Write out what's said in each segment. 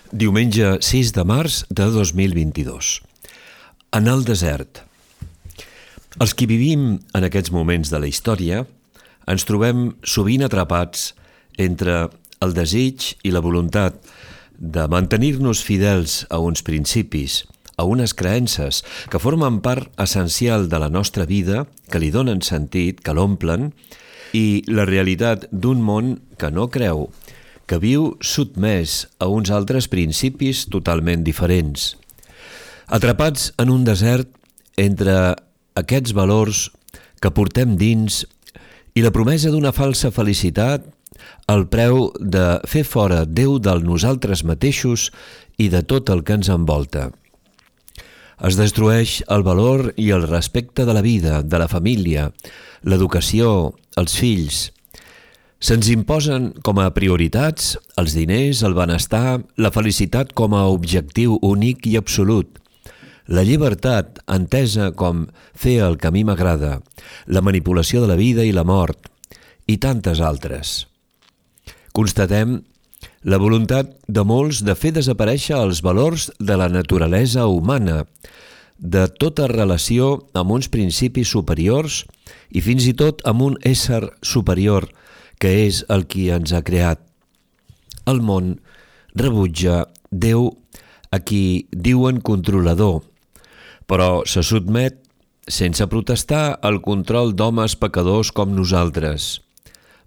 Diumenge 6 de març de 2022. En el desert. Els qui vivim en aquests moments de la història ens trobem sovint atrapats entre el desig i la voluntat de mantenir-nos fidels a uns principis, a unes creences que formen part essencial de la nostra vida, que li donen sentit, que l'omplen, i la realitat d'un món que no creu, que viu sotmès a uns altres principis totalment diferents. Atrapats en un desert entre aquests valors que portem dins i la promesa d'una falsa felicitat al preu de fer fora Déu del nosaltres mateixos i de tot el que ens envolta. Es destrueix el valor i el respecte de la vida, de la família, l'educació, els fills. Se'ns imposen com a prioritats els diners, el benestar, la felicitat com a objectiu únic i absolut, la llibertat entesa com fer el que a mi m'agrada, la manipulació de la vida i la mort, i tantes altres. Constatem la voluntat de molts de fer desaparèixer els valors de la naturalesa humana, de tota relació amb uns principis superiors i fins i tot amb un ésser superior que és el qui ens ha creat. El món rebutja Déu, a qui diuen controlador, però se sotmet sense protestar al control d'homes pecadors com nosaltres,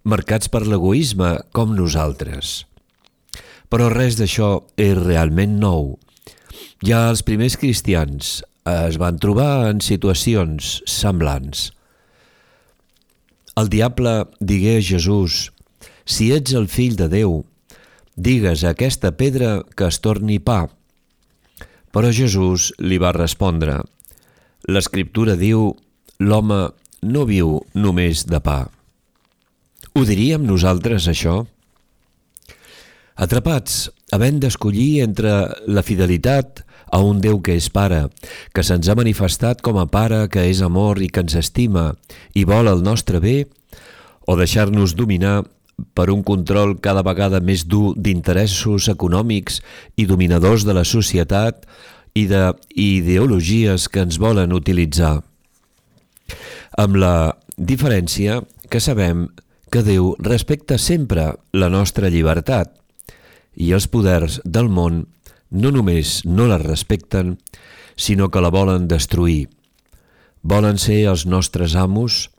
marcats per l'egoisme com nosaltres. Però res d'això és realment nou. Ja els primers cristians es van trobar en situacions semblants. El diable digué a Jesús: «Si ets el fill de Déu, digues a aquesta pedra que es torni pa». Però Jesús li va respondre: «L'Escriptura diu, l'home no viu només de pa». Ho diríem nosaltres, això? Atrapats, havent d'escollir entre la fidelitat a un Déu que és pare, que se'ns ha manifestat com a pare que és amor i que ens estima i vol el nostre bé, o deixar-nos dominar per un control cada vegada més dur d'interessos econòmics i dominadors de la societat i d'ideologies que ens volen utilitzar. Amb la diferència que sabem que Déu respecta sempre la nostra llibertat i els poders del món no només no la respecten, sinó que la volen destruir. Volen ser els nostres amos,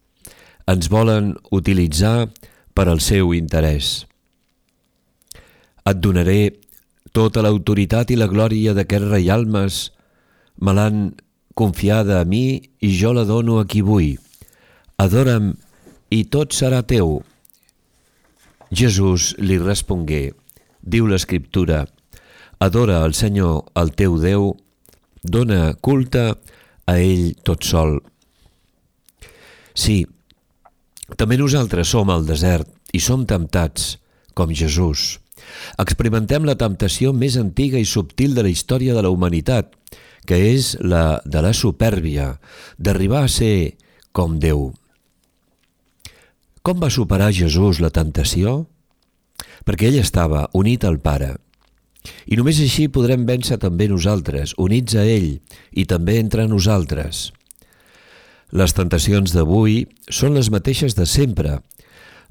ens volen utilitzar per al seu interès. Et donaré tota l'autoritat i la glòria d'aquests reialmes, me l'han confiada a mi i jo la dono a qui vull. Adora'm i tot serà teu. Jesús li respongué, diu l'Escriptura: adora el Senyor, el teu Déu, dona culte a ell tot sol. Sí, també nosaltres som al desert i som temptats, com Jesús. Experimentem la temptació més antiga i subtil de la història de la humanitat, que és la de la supèrbia, d'arribar a ser com Déu. Com va superar Jesús la temptació? Perquè ell estava unit al Pare. I només així podrem vèncer també nosaltres, units a ell i també entre nosaltres. Les tentacions d'avui són les mateixes de sempre,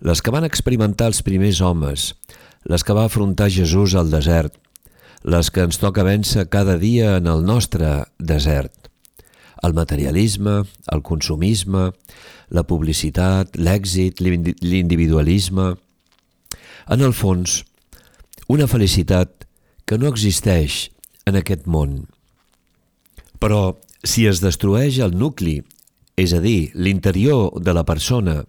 les que van experimentar els primers homes, les que va afrontar Jesús al desert, les que ens toca vèncer cada dia en el nostre desert. El materialisme, el consumisme, la publicitat, l'èxit, l'individualisme. En el fons, una felicitat que no existeix en aquest món. Però si es destrueix el nucli, és a dir, l'interior de la persona,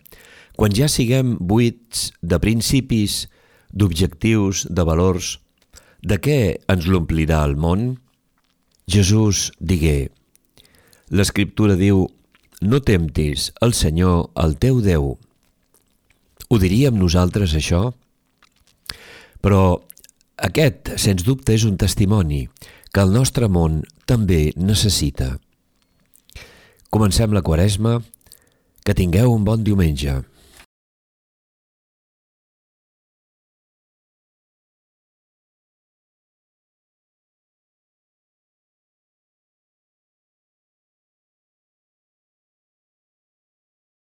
quan ja siguem buits de principis, d'objectius, de valors, de què ens l'omplirà el món? Jesús digué: l'Escriptura diu, no temptis el Senyor, el teu Déu. Ho diríem nosaltres, això? Però aquest, sens dubte, és un testimoni que el nostre món també necessita. Comencem la Quaresma. Que tingueu un bon diumenge.